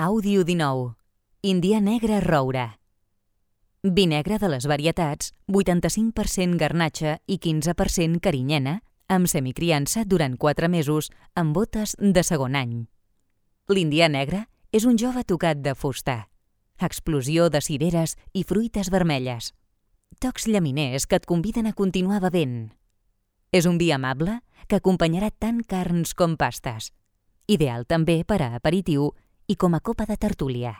Àudio 19. Indià negre roure. Vi negre de les varietats, 85% garnatxa i 15% carinyena, amb semicriança durant 4 mesos amb botes de segon any. L'indià negre és un jove tocat de fusta. Explosió de cireres i fruites vermelles. Tocs llaminers que et conviden a continuar bevent. És un vi amable que acompanyarà tant carns com pastes. Ideal també per a aperitiu i com a copa de tertúlia.